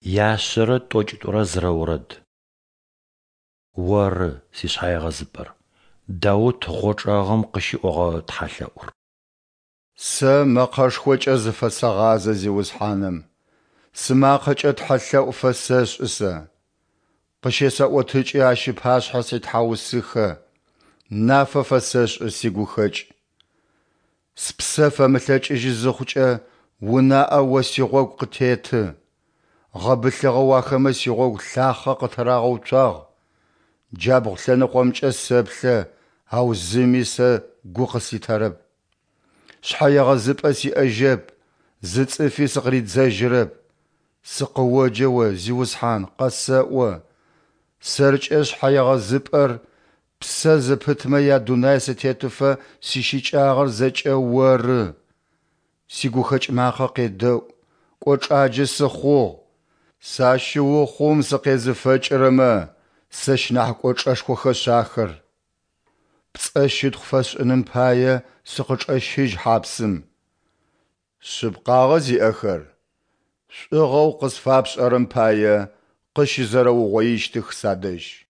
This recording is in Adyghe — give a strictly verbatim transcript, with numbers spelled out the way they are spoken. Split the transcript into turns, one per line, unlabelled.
Яшъэрэ тӏокӏитӏурэ зырэ орэд. Оры сишъхьэегъэзыпӏэр. Даут гъочӏэгъым къыщиӏогъэ тхьэлъэӏур.
Сэ мэкъэшхокӏэ зыфэсэгъазэ Зиусхьаным, сымакъэкӏэ тхьэлъэӏу фэсэшӏы сэ. Къыщесэӏотыкӏы Ащ ыпашъхьэ ситхьаусыхэ, нафэ фэсэшӏы сигухэкӏ. Спсэ фэмылъэкӏыжьы зыхъукӏэ, унаӏэ О сигъогу къытеты. Гъэбылъыгъэу ахэмэ сигъогу лъахъэ къытырагъэуцуагъ. Джабгъу лъэныкъомкӏэ сэплъэ, ау зыми сэ гу къыслъитэрэп. Шъхьэегъэзыпӏэ сиӏэжьэп, зы цӏыфи сыкъыридзэжьырэп. Сыкъыоджэ О, Зиусхьан, къэсэӏо: Сэркӏэ шъхьэегъэзыпӏэр, псэ зыпытмэ ядунай сытетыфэ сищыкӏагъэр зэкӏэ Оры. Сигухэкӏ макъэ къедэӏу, кӏочӏаджэ сыхъугъ. Сащыухъум сыкъезыфэкӏырэмэ, сэщ нахь кӏочӏэшхохэшъ ахэр. Пцӏэ щытхъу фэсшӏыным пае сыкъычӏэщыжь хьапсым. Шъыпкъагъэ зиӏэхэр, шӏугъэу къысфапшӏэрэм пае, къыщызэрэугъоищтых садэжь.